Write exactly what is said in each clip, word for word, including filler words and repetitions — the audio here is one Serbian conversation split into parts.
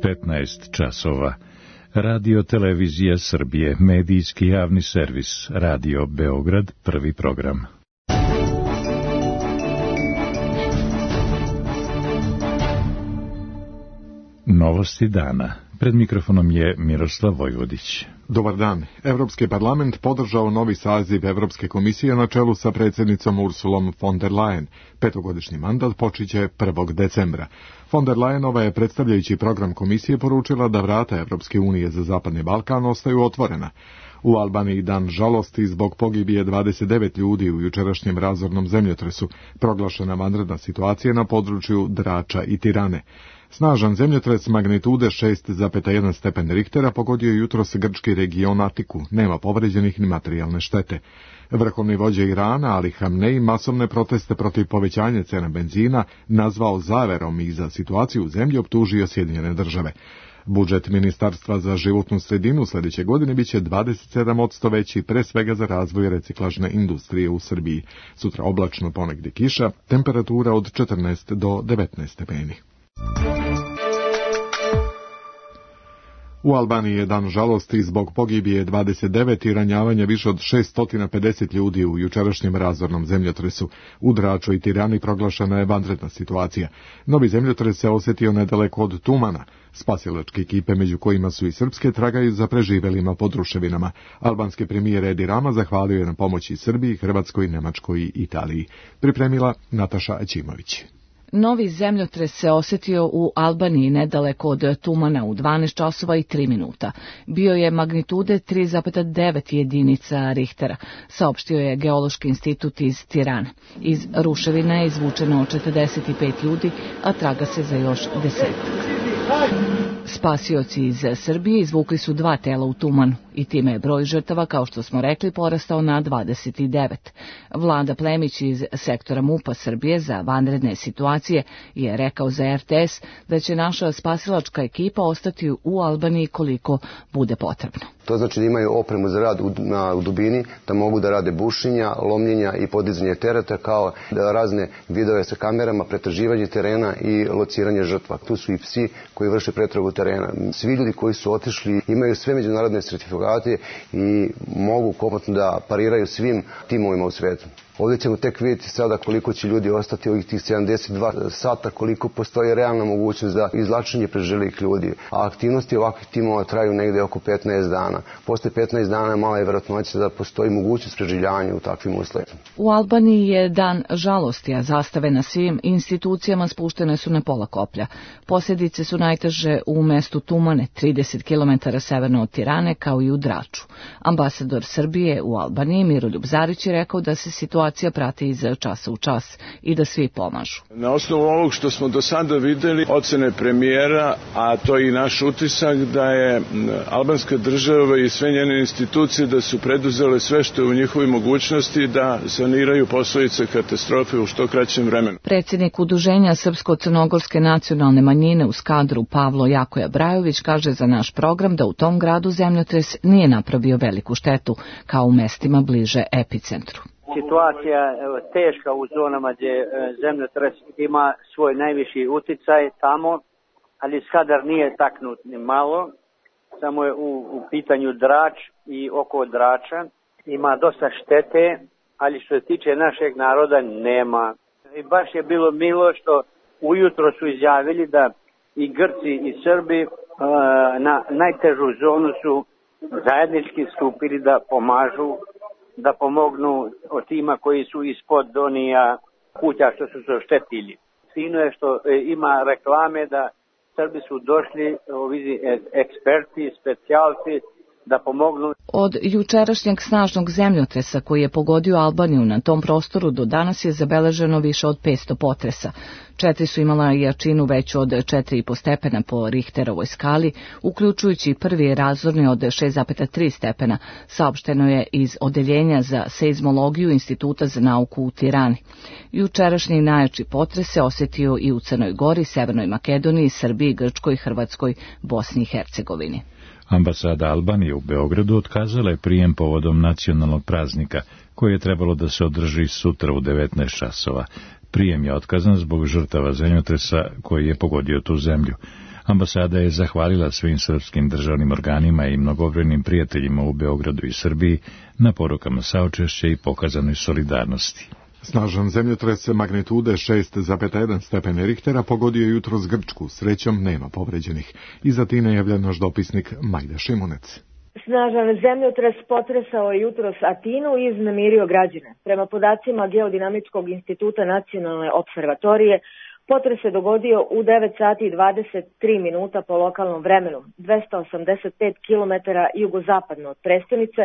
petnaest časova. Radio Televizija Srbije, medijski javni servis, Radio Beograd, prvi program. Novosti dana. Pred mikrofonom je Miroslav Vojvodić. Dobar dan. Evropski parlament podržao novi saziv Evropske komisije na čelu sa predsjednicom Ursulom von der Leyen. Petogodišnji mandat počiće prvog decembra. Von der Leyenova je, predstavljajući program komisije, poručila da vrata Evropske unije za Zapadni Balkan ostaju otvorena. U Albaniji dan žalosti zbog pogibije dvadeset devet ljudi u jučerašnjem razornom zemljotresu, proglašena vanredna situacija na području Drača i Tirane. Snažan zemljotres magnitude šest zarez jedan stepen Richtera pogodio je jutros grčki region Atiku. Nema povređenih ni materijalne štete. Vrhovni vođa Irana, Ali Hamnej, masovne proteste protiv povećanja cena benzina nazvao zaverom i za situaciju u zemlji optužio Sjedinjene države. Budžet Ministarstva za životnu sredinu sljedeće godine biće dvadeset sedam posto veći, pre svega za razvoj reciklažne industrije u Srbiji. Sutra oblačno, ponegdje kiša, temperatura od četrnaest do devetnaest stepeni. U Albaniji je dan žalosti zbog pogibije dvadeset devet i ranjavanja više od šeststo pedeset ljudi u jučerašnjem razornom zemljotresu. U Draču i Tirani proglašena je vanredna situacija. Novi zemljotres se osjetio nedaleko od Tumana. Spasilačke ekipe, među kojima su i srpske, tragaju za preživelima pod ruševinama. Albanski premijer Edi Rama zahvalio je na pomoći Srbiji, Hrvatskoj, Nemačkoj i Italiji. Pripremila Nataša Aćimović. Novi zemljotres se osjetio u Albaniji nedaleko od Tumana u dvanaest časova i tri minuta. Bio je magnitude tri zarez devet jedinica Richtera, saopštio je Geološki institut iz Tirane. Iz ruševina je izvučeno četrdeset pet ljudi, a traga se za još desetak. Spasioci iz Srbije izvukli su dva tela u Tumanu i time je broj žrtava, kao što smo rekli, porastao na dvadeset devet. Vlada Plemić iz sektora MUP-a Srbije za vanredne situacije je rekao za R T S da će naša spasilačka ekipa ostati u Albaniji koliko bude potrebno. To znači da imaju opremu za rad u, na, u dubini, da mogu da rade bušenja, lomljenja i podizanje tereta, kao da razne vidove sa kamerama, pretraživanje terena i lociranje žrtva. Tu su i psi koji vrše pretragu terena. Svi ljudi koji su otišli imaju sve međunarodne sertifikate i mogu komotno da pariraju svim timovima u svetu. Ovdje ćemo tek vidjeti sada koliko će ljudi ostati ovih tih sedamdeset dva sata, koliko postoji realna mogućnost za izvlačenje preživjelih ljudi. A aktivnosti ovakvih timova traju negdje oko petnaest dana. Posle petnaest dana mala je vjerojatnoća da postoji mogućnost preživljavanja u takvim uslovima. U Albaniji je dan žalosti, a zastave na svim institucijama spuštene su na pola koplja. Posljedice su najteže u mestu Tumane, trideset kilometara severno od Tirane, kao i u Draču. Ambasador Srbije u Albaniji, Miroljub Zarić, je rekao da se situacija prati iz časa u čas i da svi pomažu. Na osnovu ovog što smo do sada vidjeli, ocene premijera, a to je i naš utisak, da je albanska država i sve njene institucije da su preduzele sve što je u njihovoj mogućnosti da saniraju posljedice katastrofe u što kraćem vremenu. Predsjednik Udruženja Srpsko-crnogorske nacionalne manjine u Skadru, Pavlo Jakoja Brajović, kaže za naš program da u tom gradu zemljotres nije napravio veliku štetu, kao u mestima bliže epicentru. Situacija je teška u zonama gdje zemljotres ima svoj najviši uticaj tamo, ali Skadar nije taknut ni malo, samo je u, u pitanju Drač i oko Drača. Ima dosta štete, ali što se tiče našeg naroda nema. I baš je bilo milo što ujutro su izjavili da i Grci i Srbi na najtežu zonu su zajednički stupili da pomažu, da pomognu od tima koji su ispod donija kuća što su se oštetili. Fino je što ima reklame da Srbi su došli, ovi eksperti, specijalci, da pomognu. Od jučerašnjeg snažnog zemljotresa koji je pogodio Albaniju na tom prostoru do danas je zabeleženo više od petsto potresa. Četiri su imala jačinu veću od četiri i po stepena po Richterovoj skali, uključujući prvi razorni od šest zarez tri stepena, saopšteno je iz Odeljenja za seizmologiju Instituta za nauku u Tirani. Jučerašnji najjači potres se osjetio i u Crnoj Gori, Severnoj Makedoniji, Srbiji, Grčkoj, Hrvatskoj, Bosni i Hercegovini. Ambasada Albanije u Beogradu otkazala je prijem povodom nacionalnog praznika, koji je trebalo da se održi sutra u devetnaest časova. Prijem je otkazan zbog žrtava zemljotresa koji je pogodio tu zemlju. Ambasada je zahvalila svim srpskim državnim organima i mnogobrojnim prijateljima u Beogradu i Srbiji na porukama saučešća i pokazanoj solidarnosti. Snažan zemljotres magnitude šest zarez jedan stepeni Richtera pogodio je jutros Grčku, srećom nema povređenih. Iz Atine javlja naš dopisnik Majda Šimunec. Snažan zemljotres potresao je jutros Atinu i iznemirio građane. Prema podacima Geodinamičkog instituta Nacionalne observatorije, potres se dogodio u devet sati i dvadeset tri minuta po lokalnom vremenu, dvesta osamdeset pet kilometara jugozapadno od prestonice,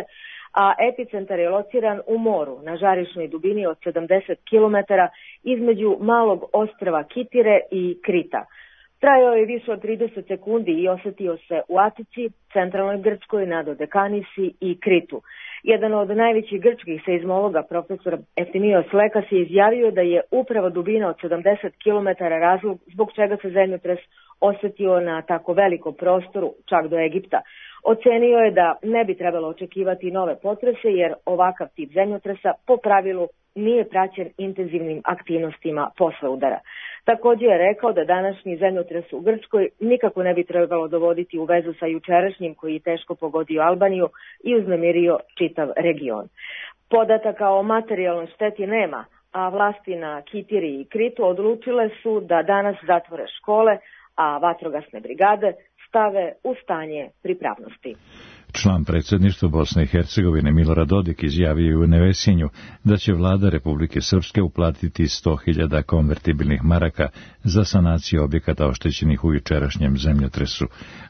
a epicentar je lociran u moru na žarišnoj dubini od sedamdeset kilometara između malog ostrva Kitire i Krita. Trajao je više od trideset sekundi i osetio se u Atici, centralnoj Grčkoj, na Dodekanisi i Kritu. Jedan od najvećih grčkih seizmologa, profesor Eftimios Lekas, je izjavio da je upravo dubina od sedamdeset kilometara razlog zbog čega se zemljotres osetio na tako velikom prostoru, čak do Egipta. Ocenio je da ne bi trebalo očekivati nove potrese, jer ovakav tip zemljotresa po pravilu nije praćen intenzivnim aktivnostima posle udara. Također je rekao da današnji zemljotres u Grčkoj nikako ne bi trebalo dovoditi u vezu sa jučerašnjim koji je teško pogodio Albaniju i uznemirio čitav region. Podataka o materijalnoj šteti nema, a vlasti na Kitiri i Kritu odlučile su da danas zatvore škole, a vatrogasne brigade stave u stanje pripravnosti. Član predsjedništva Bosne i Hercegovine Milorad Dodik izjavio je u Nevesinju da će vlada Republike Srpske uplatiti sto hiljada konvertibilnih maraka za sanaciju objekata oštećenih u jučerašnjem zemljotresu.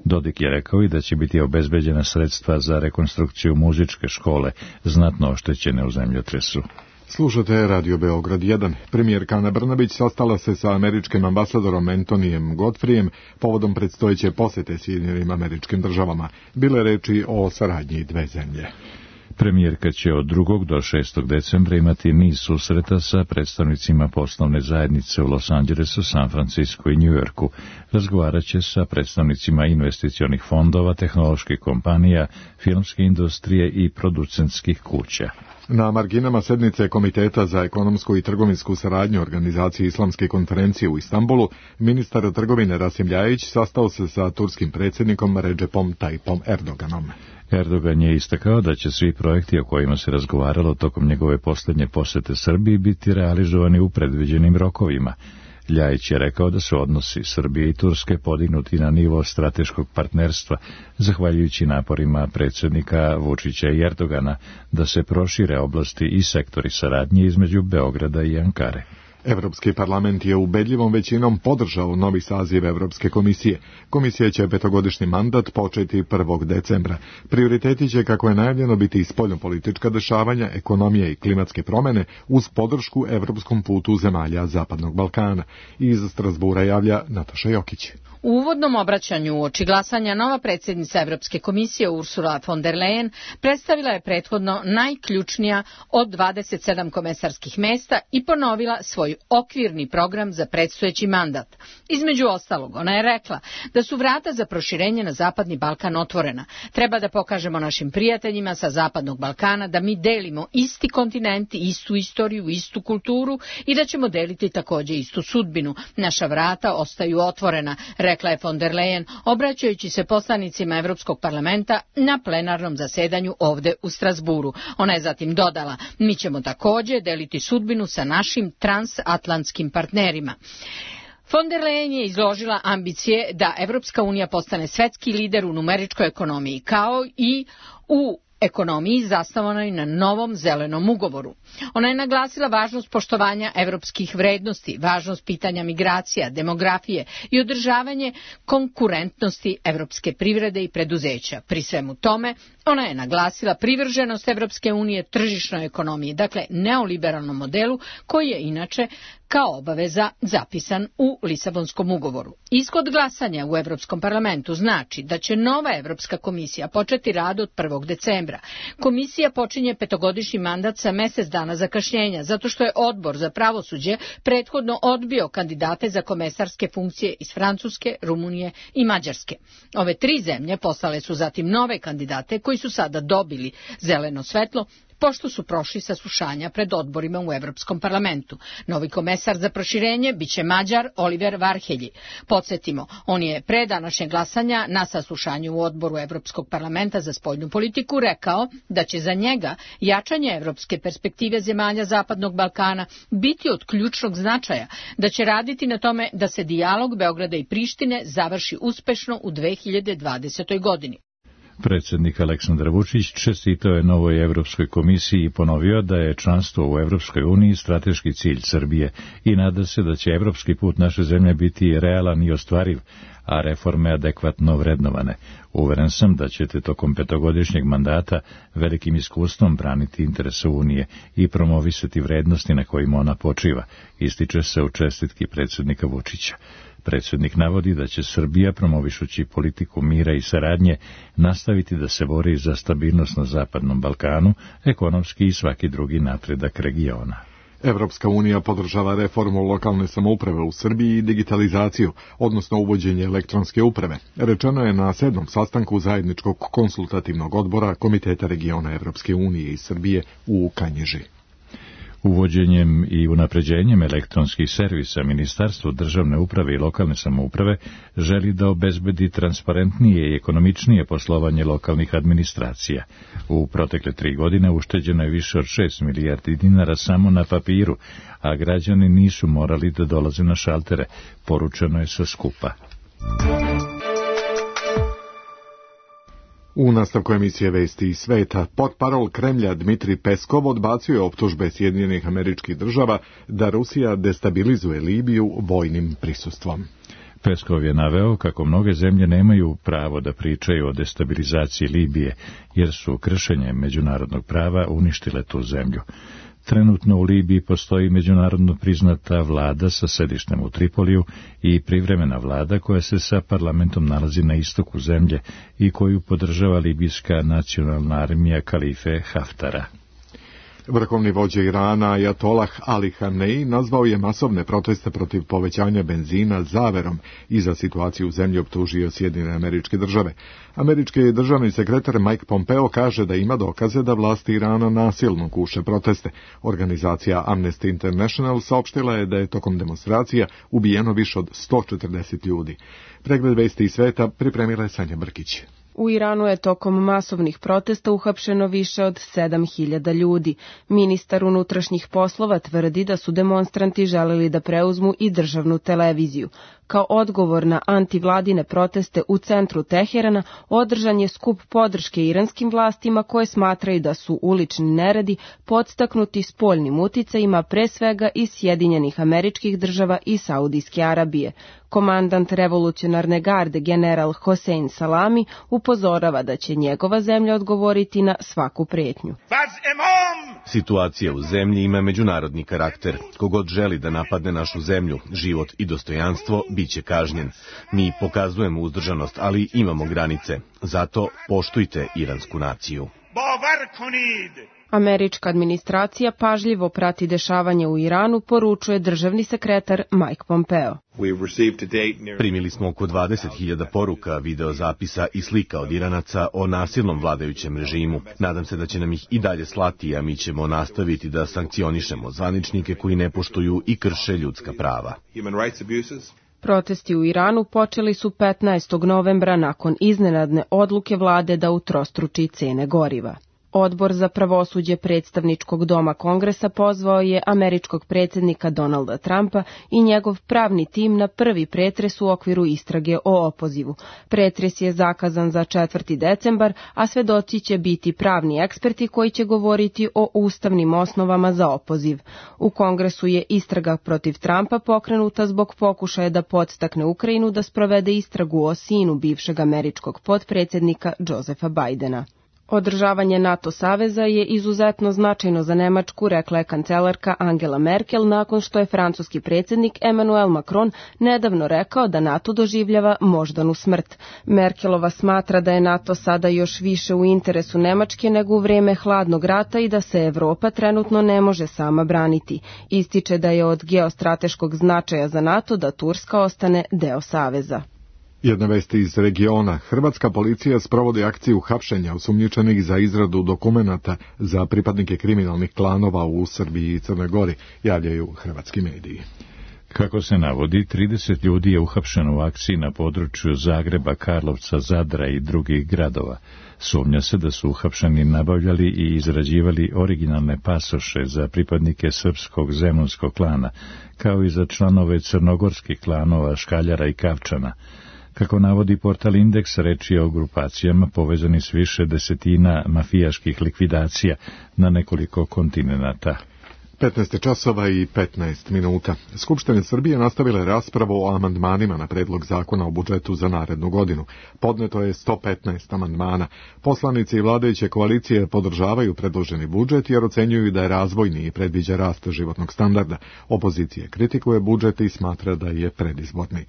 Dodik je rekao i da će biti obezbeđena sredstva za rekonstrukciju muzičke škole, znatno oštećene u zemljotresu. Slušate Radio Beograd jedan. Premijerka Ana Brnabić sastala se sa američkim ambasadorom Antonijem Godfrijem povodom predstojeće posete Sjedinjenim Američkim Državama. Bile reči o saradnji dve zemlje. Premijerka će od drugog do šestog decembra imati niz susreta sa predstavnicima poslovne zajednice u Los Angelesu, San Francisco i New Yorku. Razgovarat će sa predstavnicima investicionih fondova, tehnoloških kompanija, filmske industrije i producentskih kuća. Na marginama sednice Komiteta za ekonomsku i trgovinsku saradnju Organizacije Islamske konferencije u Istanbulu, ministar trgovine Rasim Ljajić sastao se sa turskim predsjednikom Recepom Tayyipom Erdoganom. Erdogan je istakao da će svi projekti o kojima se razgovaralo tokom njegove posljednje posjete Srbiji biti realizovani u predviđenim rokovima. Ljajić je rekao da su odnosi Srbije i Turske podignuti na nivo strateškog partnerstva, zahvaljujući naporima predsjednika Vučića i Erdogana da se prošire oblasti i sektori saradnje između Beograda i Ankare. Evropski parlament je ubedljivom većinom podržao novi saziv Evropske komisije. Komisija će petogodišnji mandat početi prvog decembra. Prioriteti će, kako je najavljeno, biti spoljnopolitička dešavanja, ekonomija i klimatske promjene uz podršku evropskom putu zemalja Zapadnog Balkana. Iz Strasbura javlja Nataša Jokić. U uvodnom obraćanju uoči glasanja nova predsjednica Evropske komisije Ursula von der Leyen predstavila je prethodno najključnija od dvadeset sedam komesarskih mesta i ponovila svoj okvirni program za predstojeći mandat. Između ostalog, ona je rekla da su vrata za proširenje na Zapadni Balkan otvorena. Treba da pokažemo našim prijateljima sa Zapadnog Balkana da mi delimo isti kontinent, istu istoriju, istu kulturu i da ćemo deliti također istu sudbinu. Naša vrata ostaju otvorena, rekla je von der Leyen, obraćajući se poslanicima Evropskog parlamenta na plenarnom zasedanju ovde u Strasburu. Ona je zatim dodala, mi ćemo također deliti sudbinu sa našim transatlantskim partnerima. Von der Leyen je izložila ambicije da Evropska unija postane svetski lider u numeričkoj ekonomiji, kao i u ekonomiji zasnovanoj na novom zelenom ugovoru. Ona je naglasila važnost poštovanja evropskih vrednosti, važnost pitanja migracija, demografije i održavanje konkurentnosti evropske privrede i preduzeća. Pri svemu tome, ona je naglasila privrženost Evropske unije tržišnoj ekonomiji, dakle neoliberalnom modelu koji je inače kao obaveza zapisan u Lisabonskom ugovoru. Ishod glasanja u Evropskom parlamentu znači da će nova Evropska komisija početi rad od prvog decembra. Komisija počinje petogodišnji mandat sa mjesec dana zakašnjenja, zato što je odbor za pravosuđe prethodno odbio kandidate za komesarske funkcije iz Francuske, Rumunije i Mađarske. Ove tri zemlje poslale su zatim nove kandidate koji su sada dobili zeleno svetlo pošto su prošli saslušanja pred odborima u Evropskom parlamentu. Novi komesar za proširenje biće Mađar Oliver Varhelji. Podsjetimo, on je pre današnjeg glasanja na saslušanju u odboru Evropskog parlamenta za spoljnu politiku rekao da će za njega jačanje evropske perspektive zemalja Zapadnog Balkana biti od ključnog značaja, da će raditi na tome da se dijalog Beograda i Prištine završi uspešno u dve hiljade dvadesetoj godini. Predsjednik Aleksandar Vučić čestitao je novoj Evropskoj komisiji i ponovio da je članstvo u Evropskoj uniji strateški cilj Srbije i nada se da će evropski put naše zemlje biti realan i ostvariv, a reforme adekvatno vrednovane. Uveren sam da ćete tokom petogodišnjeg mandata velikim iskustvom braniti interese Unije i promovisati vrednosti na kojima ona počiva, ističe se u čestitki predsjednika Vučića. Predsjednik navodi da će Srbija, promovišući politiku mira i saradnje, nastaviti da se bori za stabilnost na Zapadnom Balkanu, ekonomski i svaki drugi napredak regiona. Evropska unija podržava reformu lokalne samouprave u Srbiji i digitalizaciju, odnosno uvođenje elektronske uprave. Rečeno je na sedmom sastanku zajedničkog konsultativnog odbora Komiteta regiona Evropske unije i Srbije u Kanjiži. Uvođenjem i unapređenjem elektronskih servisa Ministarstvo državne uprave i lokalne samouprave želi da obezbedi transparentnije i ekonomičnije poslovanje lokalnih administracija. U protekle tri godine ušteđeno je više od šest milijardi dinara samo na papiru, a građani nisu morali da dolaze na šaltere, poručeno je sa skupa. U nastavku emisije Vesti iz sveta, portparol Kremlja Dmitri Peskov odbacuje optužbe Sjedinjenih Američkih Država da Rusija destabilizuje Libiju vojnim prisustvom. Peskov je naveo kako mnoge zemlje nemaju pravo da pričaju o destabilizaciji Libije, jer su kršenjem međunarodnog prava uništile tu zemlju. Trenutno u Libiji postoji međunarodno priznata vlada sa sedištem u Tripoliju i privremena vlada koja se sa parlamentom nalazi na istoku zemlje i koju podržava libijska nacionalna armija kalife Haftara. Vrhovni vođa Irana Ajatolah Ali Hamnei nazvao je masovne proteste protiv povećanja benzina zaverom i za situaciju u zemlji optužio Sjedinjene Američke Države. Američki državni sekretar Mike Pompeo kaže da ima dokaze da vlasti Irana nasilno guše proteste. Organizacija Amnesty International saopštila je da je tokom demonstracija ubijeno više od sto četrdeset ljudi. Pregled vesti iz sveta pripremila je Sanja Brkić. U Iranu je tokom masovnih protesta uhapšeno više od sedam hiljada ljudi. Ministar unutrašnjih poslova tvrdi da su demonstranti želeli da preuzmu i državnu televiziju. Kao odgovor na antivladine proteste u centru Teherana održan je skup podrške iranskim vlastima koje smatraju da su ulični neredi podstaknuti spoljnim uticajima pre svega iz Sjedinjenih Američkih Država i Saudijske Arabije. Komandant revolucionarne garde general Hossein Salami upozorava da će njegova zemlja odgovoriti na svaku pretnju. Situacija u zemlji ima međunarodni karakter. Kogod želi da napadne našu zemlju, život i dostojanstvo, bit će kažnjen. Mi pokazujemo uzdržanost, ali imamo granice. Zato poštujte iransku naciju. Američka administracija pažljivo prati dešavanje u Iranu, poručuje državni sekretar Mike Pompeo. Primili smo oko dvadeset hiljada poruka, videozapisa i slika od Iranaca o nasilnom vladajućem režimu. Nadam se da će nam ih i dalje slati, a mi ćemo nastaviti da sankcionišemo zvaničnike koji ne poštuju i krše ljudska prava. Protesti u Iranu počeli su petnaestog novembra nakon iznenadne odluke vlade da utrostruči cene goriva. Odbor za pravosuđe predstavničkog doma Kongresa pozvao je američkog predsjednika Donalda Trumpa i njegov pravni tim na prvi pretres u okviru istrage o opozivu. Pretres je zakazan za četvrti decembar, a svedoci će biti pravni eksperti koji će govoriti o ustavnim osnovama za opoziv. U Kongresu je istraga protiv Trumpa pokrenuta zbog pokušaja da podstakne Ukrajinu da sprovede istragu o sinu bivšeg američkog potpredsjednika Josefa Bidena. Održavanje NATO saveza je izuzetno značajno za Nemačku, rekla je kancelarka Angela Merkel nakon što je francuski predsjednik Emmanuel Macron nedavno rekao da NATO doživljava moždanu smrt. Merkelova smatra da je NATO sada još više u interesu Nemačke nego u vrijeme hladnog rata i da se Evropa trenutno ne može sama braniti. Ističe da je od geostrateškog značaja za NATO da Turska ostane deo saveza. Jedna vest iz regiona. Hrvatska policija sprovodi akciju hapšenja osumnjičenih za izradu dokumenata za pripadnike kriminalnih klanova u Srbiji i Crnoj Gori, javljaju hrvatski mediji. Kako se navodi, trideset ljudi je uhapšeno u akciji na području Zagreba, Karlovca, Zadra i drugih gradova. Sumnja se da su uhapšeni nabavljali i izrađivali originalne pasoše za pripadnike srpskog zemunskog klana, kao i za članove crnogorskih klanova Škaljara i Kavčana. Kako navodi portal Indeks, reč je o grupacijama povezani s više desetina mafijaških likvidacija na nekoliko kontinenata. petnaest časova i petnaest minuta. Skupština Srbije nastavila je raspravu o amandmanima na predlog zakona o budžetu za narednu godinu. Podneto je sto petnaest amandmana. Poslanici i vladajuće koalicije podržavaju predloženi budžet jer ocenjuju da je razvojni i predviđa rast životnog standarda. Opozicija kritikuje budžet i smatra da je predizborni.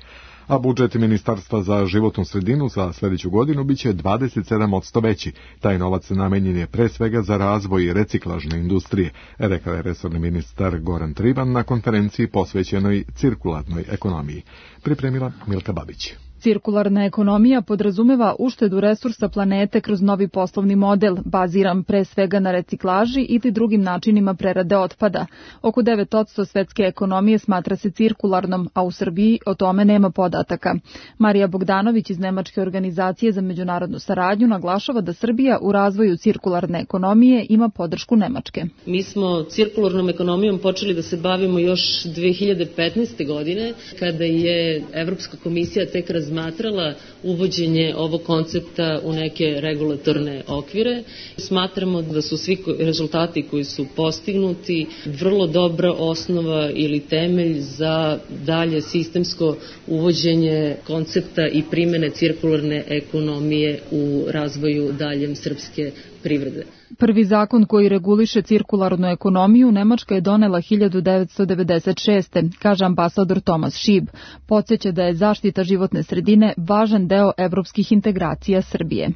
A budžet Ministarstva za životnu sredinu za sljedeću godinu biće dvadeset sedam posto veći. Taj novac namenjen je pre svega za razvoj reciklažne industrije, rekao je resorni ministar Goran Trivan na konferenciji posvećenoj cirkularnoj ekonomiji. Pripremila Milka Babić. Cirkularna ekonomija podrazumeva uštedu resursa planete kroz novi poslovni model, baziran pre svega na reciklaži ili drugim načinima prerade otpada. Oko devet posto svetske ekonomije smatra se cirkularnom, a u Srbiji o tome nema podataka. Marija Bogdanović iz Nemačke organizacije za međunarodnu saradnju naglašava da Srbija u razvoju cirkularne ekonomije ima podršku Nemačke. Mi smo cirkularnom ekonomijom počeli da se bavimo još dve hiljade petnaeste. godine, kada je Evropska komisija tek razmatrala smatrala uvođenje ovog koncepta u neke regulatorne okvire. Smatramo da su svi rezultati koji su postignuti vrlo dobra osnova ili temelj za dalje sistemsko uvođenje koncepta i primene cirkularne ekonomije u razvoju daljem srpske privrede. Prvi zakon koji reguliše cirkularnu ekonomiju Nemačka je donela hiljadu devetsto devedeset šeste. kaže ambasador Tomas Šib. Podsjeća da je zaštita životne sredine važan deo evropskih integracija Srbije.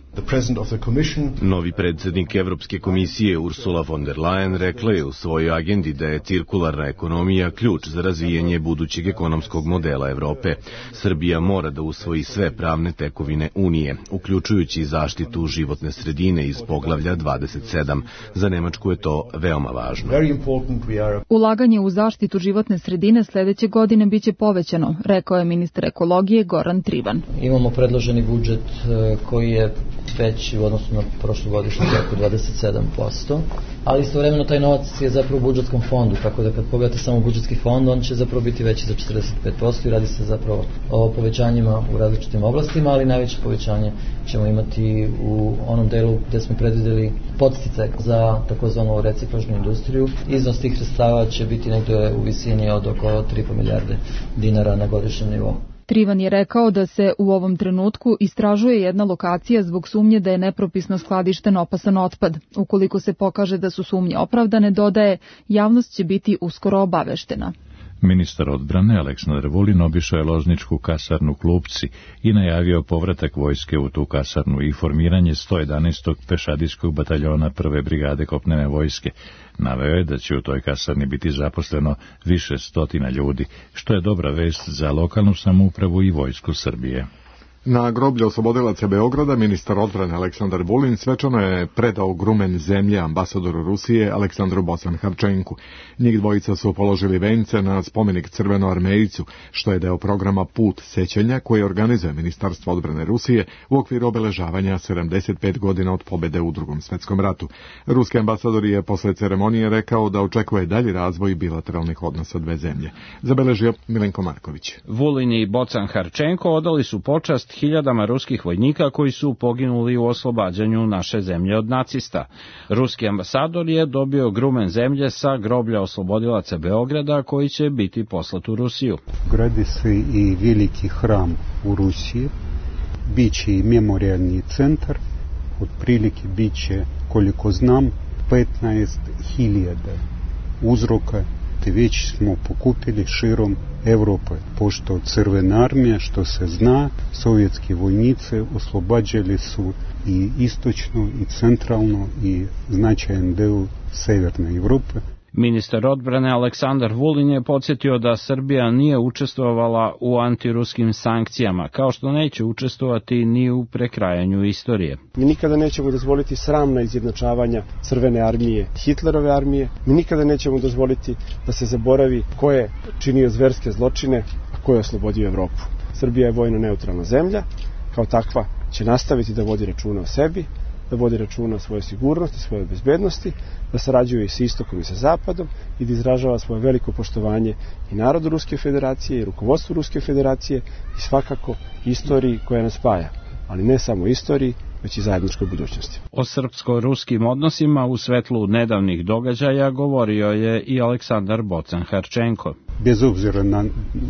Novi predsjednik Evropske komisije Ursula von der Leyen rekla je u svojoj agendi da je cirkularna ekonomija ključ za razvijanje budućeg ekonomskog modela Evrope. Srbija mora da usvoji sve pravne tekovine Unije, uključujući zaštitu životne sredine iz poglavlja dvadeset sedam. Za Nemačku je to veoma važno. Ulaganje u zaštitu životne sredine sljedeće godine biće povećano, rekao je ministar ekologije Goran Trivan. Imamo predloženi budžet koji je veći u odnosu na prošlogodišnji oko dvadeset sedam posto, ali istovremeno taj novac je zapravo u budžetskom fondu, tako da kad pogledate samo budžetski fond, on će zapravo biti veći za četrdeset pet posto i radi se zapravo o povećanjima u različitim oblastima, ali najveće povećanje ćemo imati u onom delu gde smo predvideli podsticaj za takozvanu reciklažnu industriju. Iznos tih sredstava će biti negde u visini od oko tri i po milijarde dinara na godišnjem nivou. Trivan je rekao da se u ovom trenutku istražuje jedna lokacija zbog sumnje da je nepropisno skladišten opasan otpad. Ukoliko se pokaže da su sumnje opravdane, dodaje, javnost će biti uskoro obaveštena. Ministar odbrane Aleksandar Vulin obišao je lozničku kasarnu Klupci i najavio povratak vojske u tu kasarnu i formiranje sto jedanaestog pešadijskog bataljona prve brigade kopnene vojske. Naveo je da će u toj kasarni biti zaposleno više stotina ljudi, što je dobra vest za lokalnu samoupravu i vojsku Srbije. Na groblju oslobodilaca Beograda ministar odbrane Aleksandar Vulin svečano je predao grumen zemlje ambasadoru Rusije Aleksandru Bosan-Harčenku. Njih dvojica su položili vence na spomenik Crvenoarmejcu, što je deo programa Put sećanja koji organizuje Ministarstvo odbrane Rusije u okviru obeležavanja sedamdeset pet godina od pobede u Drugom svetskom ratu. Ruski ambasador je posle ceremonije rekao da očekuje dalji razvoj bilateralnih odnosa dve zemlje. Zabeležio Milenko Marković. Vulin i Bocan-Harčenko odali su počast hiljadama ruskih vojnika koji su poginuli u oslobađanju naše zemlje od nacista. Ruski ambasador je dobio grumen zemlje sa groblja oslobodilaca Beograda koji će biti poslat u Rusiju. Gradi se i veliki hram u Rusiji, biće i memorialni centar, otprilike biće, koliko znam, petnaest hiljada uzroka, te već smo pokupili širom Evrope, pošto Crvena armija, što se zna, sovjetski vojnici oslobađali su i istočno i centralno i značajan deo severne Evrope. Ministar odbrane Aleksandar Vulin je podsjetio da Srbija nije učestvovala u antiruskim sankcijama, kao što neće učestvovati ni u prekrajanju istorije. Mi nikada nećemo dozvoliti sramna izjednačavanja Crvene armije, Hitlerove armije. Mi nikada nećemo dozvoliti da se zaboravi ko je činio zverske zločine, a ko je oslobodio Evropu. Srbija je vojno neutralna zemlja, kao takva će nastaviti da vodi računa o sebi, da vodi računa o svojoj sigurnosti, svojoj bezbednosti, da sarađuje i sa istokom i sa zapadom i da izražava svoje veliko poštovanje i narodu Ruske federacije i rukovodstvu Ruske federacije i svakako istoriji koja nas spaja, ali ne samo istoriji, već i zajedničkoj budućnosti. O srpsko-ruskim odnosima u svetlu nedavnih događaja govorio je i Aleksandar Bocan-Harčenko. Bez obzira na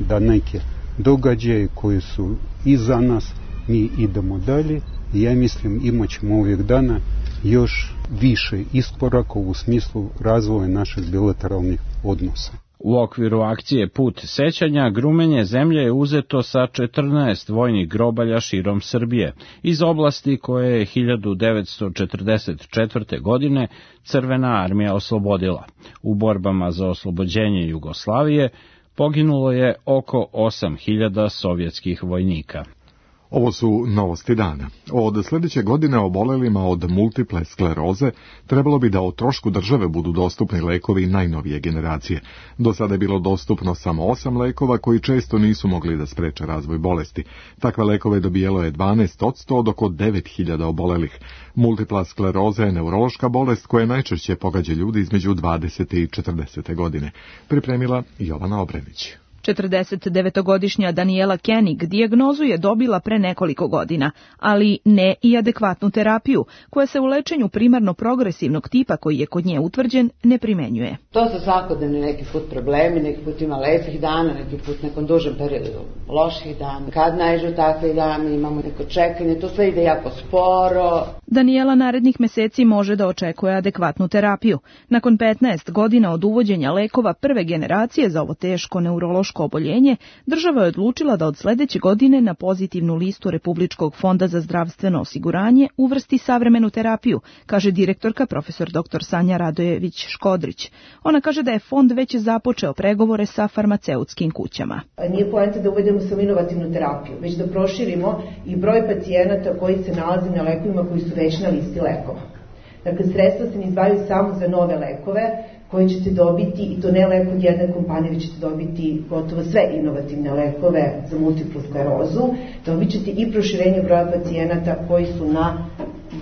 da neke događaje koji su iza nas, mi idemo dalje. Ja mislim imat ćemo ovih dana još više iskoraka u smislu razvoja naših bilateralnih odnosa. U okviru akcije Put sećanja grumenje zemlje je uzeto sa četrnaest vojnih grobalja širom Srbije, iz oblasti koje je hiljadu devetsto četrdeset četvrte. godine Crvena armija oslobodila. U borbama za oslobođenje Jugoslavije poginulo je oko osam hiljada sovjetskih vojnika. Ovo su novosti dana. Od sljedeće godine obolelima od multiple skleroze trebalo bi da o trošku države budu dostupni lekovi najnovije generacije. Do sada je bilo dostupno samo osam lekova koji često nisu mogli da spreče razvoj bolesti. Takve lekove dobijelo je dvanaest posto od oko devet hiljada obolelih. Multipla skleroza je neurološka bolest koja najčešće pogađa ljudi između dvadesete i četrdesete. godine. Pripremila Jovana Obrenić. četrdesetdevetogodišnja Daniela Koenig dijagnozu je dobila pre nekoliko godina, ali ne i adekvatnu terapiju, koja se u lečenju primarno progresivnog tipa koji je kod nje utvrđen ne primenjuje. To su svakodnevni neki put problemi, neki put ima lepih dana, neki put nekom dužem periodu loših dana. Kad naiđu takve dane, imamo neko čekanje, to sve ide jako sporo. Daniela narednih meseci može da očekuje adekvatnu terapiju. Nakon petnaest godina od uvođenja lekova prve generacije za ovo teško neurološko oboljenje, država je odlučila da od sledeće godine na pozitivnu listu Republičkog fonda za zdravstveno osiguranje uvrsti savremenu terapiju, kaže direktorka profesor doktor Sanja Radojević-Škodrić. Ona kaže da je fond već započeo pregovore sa farmaceutskim kućama. Nije poenta da uvedemo samo inovativnu terapiju, već da proširimo i broj pacijenata koji se nalaze na lekovima koji su već na listi lekova. Dakle, sredstva se ne izdvajaju samo za nove lekove koje ćete dobiti, i to ne lek od jedne kompanije, već ćete dobiti gotovo sve inovativne lekove za multiplu sklerozu. Dobit ćete i proširenje broja pacijenata koji su na,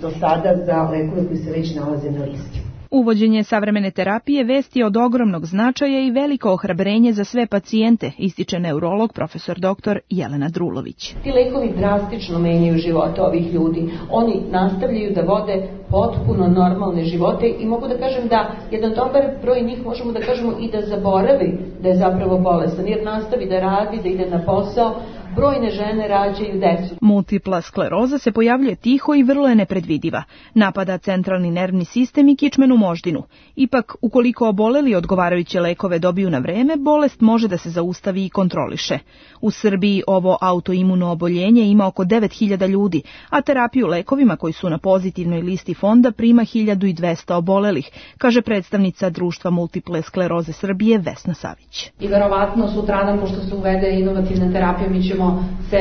do sada za lekove koji se već nalaze na listi. Uvođenje savremene terapije vest je od ogromnog značaja i veliko ohrabrenje za sve pacijente, ističe neurolog profesor doktor Jelena Drulović. Ti lekovi drastično menjaju živote ovih ljudi. Oni nastavljaju da vode potpuno normalne živote i mogu da kažem da jedan dobar broj njih možemo da kažemo i da zaboravi da je zapravo bolestan, jer nastavi da radi, da ide na posao. Brojne žene rađaju decu. Multipla skleroza se pojavljuje tiho i vrlo je nepredvidiva. Napada centralni nervni sistem i kičmenu moždinu. Ipak, ukoliko oboleli odgovarajuće lekove dobiju na vreme, bolest može da se zaustavi i kontroliše. U Srbiji ovo autoimuno oboljenje ima oko devet hiljada ljudi, a terapiju lekovima koji su na pozitivnoj listi fonda prima hiljadu dvesta obolelih, kaže predstavnica Društva multiple skleroze Srbije Vesna Savić. I verovatno sutradan, pošto se uvede inovativna terapija, mi ćemo se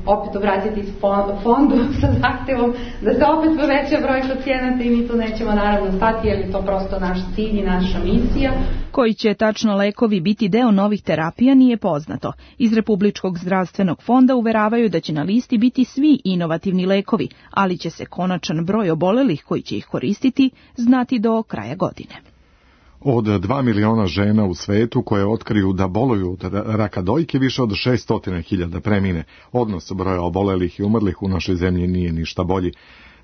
opet obratiti fondu sa zahtevom da se opet poveća broj pacijenata i mi tu nećemo naravno stati, jer je to prosto naš cilj i naša misija. Koji će tačno lekovi biti deo novih terapija nije poznato. Iz Republičkog zdravstvenog fonda uveravaju da će na listi biti svi inovativni lekovi, ali će se konačan broj obolelih koji će ih koristiti znati do kraja godine. Od dva miliona žena u svetu koje otkriju da boluju od raka dojke, više od šesto hiljada premine. Odnos broja obolelih i umrlih u našoj zemlji nije ništa bolji.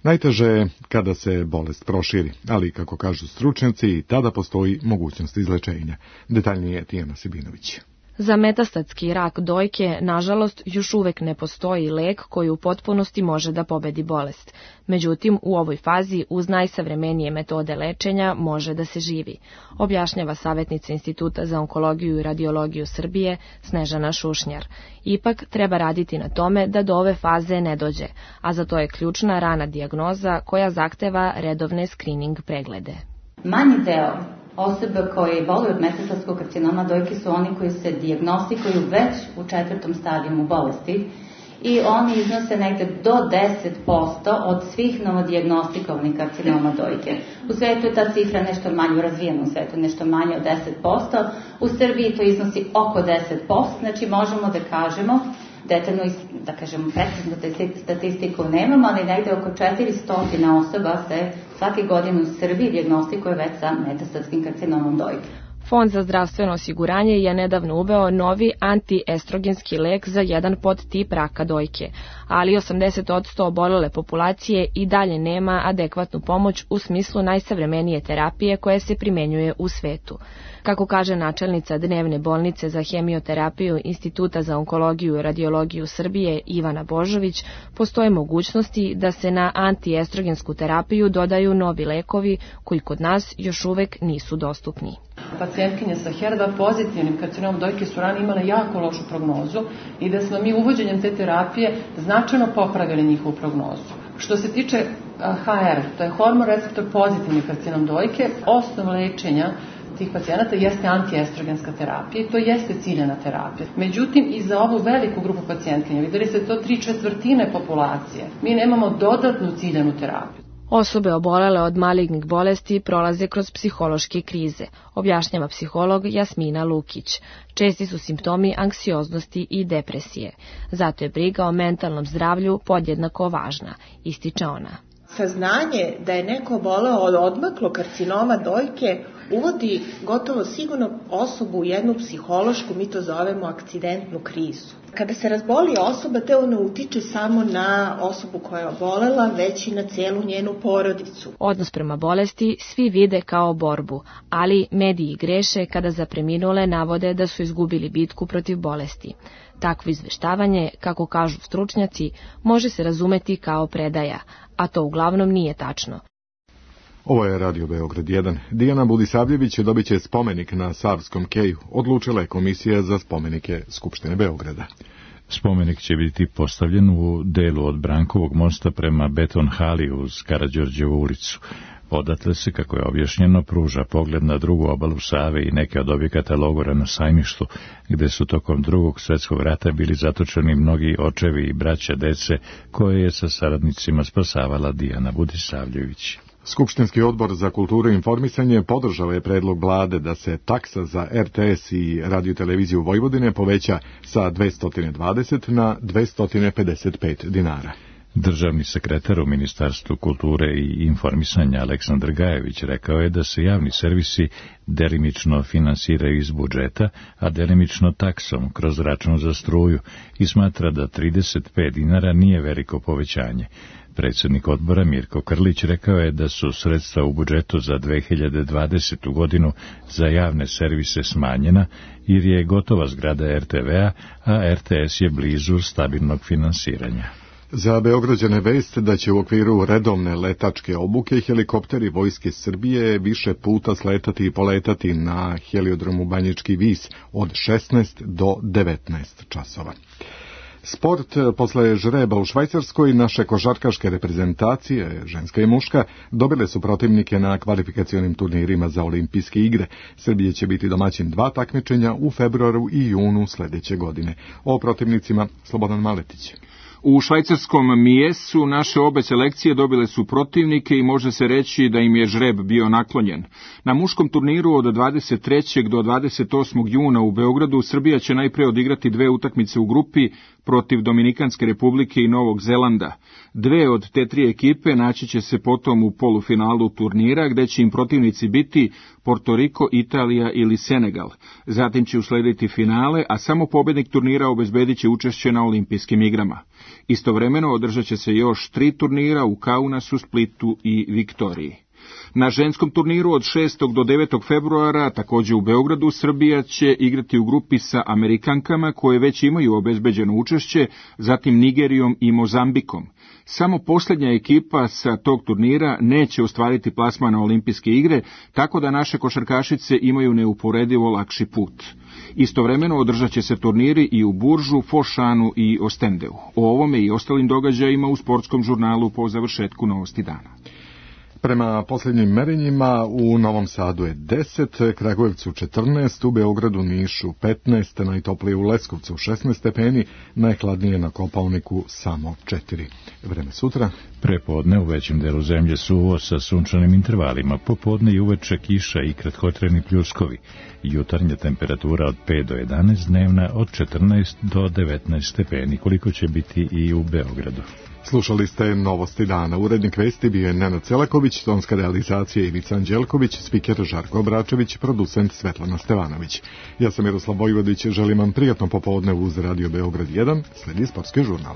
Najteže je kada se bolest proširi, ali kako kažu stručnjaci, i tada postoji mogućnost izlečenja. Detaljnije Tijana Sibinović. Za metastatski rak dojke, nažalost, još uvek ne postoji lek koji u potpunosti može da pobedi bolest. Međutim, u ovoj fazi, uz najsavremenije metode lečenja, može da se živi, objašnjava savjetnica Instituta za onkologiju i radiologiju Srbije, Snežana Šušnjar. Ipak, treba raditi na tome da do ove faze ne dođe, a za to je ključna rana dijagnoza koja zahteva redovne screening preglede. Manji deo Osobe koje boluju od metastasskog karcinoma dojke su oni koji se dijagnostikuju već u četvrtom stadijumu bolesti i oni iznose negde do deset posto od svih novodiagnostikovanih karcinoma dojke. U svetu je ta cifra nešto manje, u razvijenom svetu nešto manje od deset posto, u Srbiji to iznosi oko deset posto, znači možemo da kažemo, detaljno, da kažemo, preciznu statistiku nemamo, ali negde oko četiristo osoba se svake godine u Srbiji dijagnostikuje već sa metastatskim karcinomom dojke. Fond za zdravstveno osiguranje je nedavno uveo novi antiestrogenski lek za jedan podtip raka dojke, ali osamdeset posto obolele populacije i dalje nema adekvatnu pomoć u smislu najsavremenije terapije koje se primenjuje u svetu. Kako kaže načelnica dnevne bolnice za hemioterapiju Instituta za onkologiju i radiologiju Srbije Ivana Božović, postoje mogućnosti da se na antiestrogensku terapiju dodaju novi lekovi koji kod nas još uvek nisu dostupni. Pacijentkinje sa H E R dva pozitivnim karcinomom dojke su ranije imale jako lošu prognozu i da smo mi uvođenjem te terapije značajno popravili njihovu prognozu. Što se tiče H R, to je hormon receptor pozitivni karcinom dojke, osnov lečenja tih pacijenata jeste antiestrogenska terapija i to jeste ciljana terapija. Međutim, i za ovu veliku grupu pacijentkinja, videli ste to tri četvrtine populacije, mi nemamo dodatnu ciljanu terapiju. Osobe obolele od malignih bolesti prolaze kroz psihološke krize, objašnjava psiholog Jasmina Lukić. Česti su simptomi anksioznosti i depresije. Zato je briga o mentalnom zdravlju podjednako važna, ističe ona. Saznanje da je neko oboleo od odmaklog karcinoma dojke uvodi gotovo sigurno osobu u jednu psihološku, mi to zovemo akcidentnu krizu. Kada se razboli osoba, to ne utiče samo na osobu koja je obolela, već i na celu njenu porodicu. Odnos prema bolesti svi vide kao borbu, ali mediji greše kada za preminule navode da su izgubili bitku protiv bolesti. Takvo izveštavanje, kako kažu stručnjaci, može se razumeti kao predaja, a to uglavnom nije tačno. Ovo je Radio Beograd jedan. Dijana Budisavljević dobit će spomenik na Savskom keju. Odlučila je Komisija za spomenike Skupštine Beograda. Spomenik će biti postavljen u delu od Brankovog mosta prema Beton hali uz Karađorđevu ulicu. Odatle se, kako je objašnjeno, pruža pogled na drugu obalu Save i neke od objekata logora na Sajmištu, gde su tokom drugog svjetskog rata bili zatočeni mnogi očevi i braća dece koje je sa saradnicima spasavala Dijana Budisavljević. Skupštinski odbor za kulturu i informisanje podržao je predlog vlade da se taksa za R T S i radioteleviziju Vojvodine poveća sa dvesta dvadeset na dvesta pedeset pet dinara. Državni sekretar u Ministarstvu kulture i informisanja Aleksandar Gajević rekao je da se javni servisi delimično finansiraju iz budžeta, a delimično taksom kroz račun za struju i smatra da trideset pet dinara nije veliko povećanje. Predsjednik odbora Mirko Krlić rekao je da su sredstva u budžetu za dve hiljade dvadesetu godinu za javne servise smanjena jer je gotova zgrada R T V-a, a R T S je blizu stabilnog finansiranja. Za Beograđane vest da će u okviru redovne letačke obuke helikopteri Vojske Srbije više puta sletati i poletati na heliodromu Banjički vis od šesnaest do devetnaest časova. Sport, posle žreba u Švajcarskoj, naše košarkaške reprezentacije, ženska i muška, dobile su protivnike na kvalifikacionim turnirima za olimpijske igre. Srbije će biti domaćin dva takmičenja u februaru i junu sljedeće godine. O protivnicima Slobodan Maletić. U švajcarskom Mijesu naše obe selekcije dobile su protivnike i može se reći da im je žreb bio naklonjen. Na muškom turniru od dvadeset trećeg do dvadeset osmog juna u Beogradu Srbija će najpre odigrati dve utakmice u grupi protiv Dominikanske republike i Novog Zelanda. Dve od te tri ekipe naći će se potom u polufinalu turnira, gde će im protivnici biti Porto Riko, Italija ili Senegal. Zatim će uslediti finale, a samo pobednik turnira obezbedit će učešće na olimpijskim igrama. Istovremeno održat će se još tri turnira u Kaunasu, Splitu i Viktoriji. Na ženskom turniru od šestog do devetog februara, također u Beogradu, Srbija će igrati u grupi sa Amerikankama koje već imaju obezbeđeno učešće, zatim Nigerijom i Mozambikom. Samo posljednja ekipa sa tog turnira neće ostvariti plasman na olimpijske igre, tako da naše košarkašice imaju neuporedivo lakši put. Istovremeno održat će se turniri i u Buržu, Fošanu i Ostendeu. O ovome i ostalim događajima u sportskom žurnalu po završetku Novosti dana. Prema posljednjim merenjima u Novom Sadu je deset, Kragujevcu četrnaest, u Beogradu, Nišu petnaest, najtoplije u Leskovcu šesnaest stepeni, najhladnije na Kopaoniku samo četiri. Vreme sutra. Prepodne u većem delu zemlje suvo sa sunčanim intervalima, popodne i uveče kiša i kratkotrajni pljuskovi. Jutarnja temperatura od pet do jedanaest, dnevna od četrnaest do devetnaest stepeni, koliko će biti i u Beogradu. Slušali ste Novosti dana. Urednik vesti bio je Nenad Celaković, tonska realizacija Ivica Anđelković, spiker Žarko Obračević, producent Svetlana Stevanović. Ja sam Miroslav Vojvodić, želim vam prijatno popodne uz Radio Beograd jedan, sledi sportski žurnal.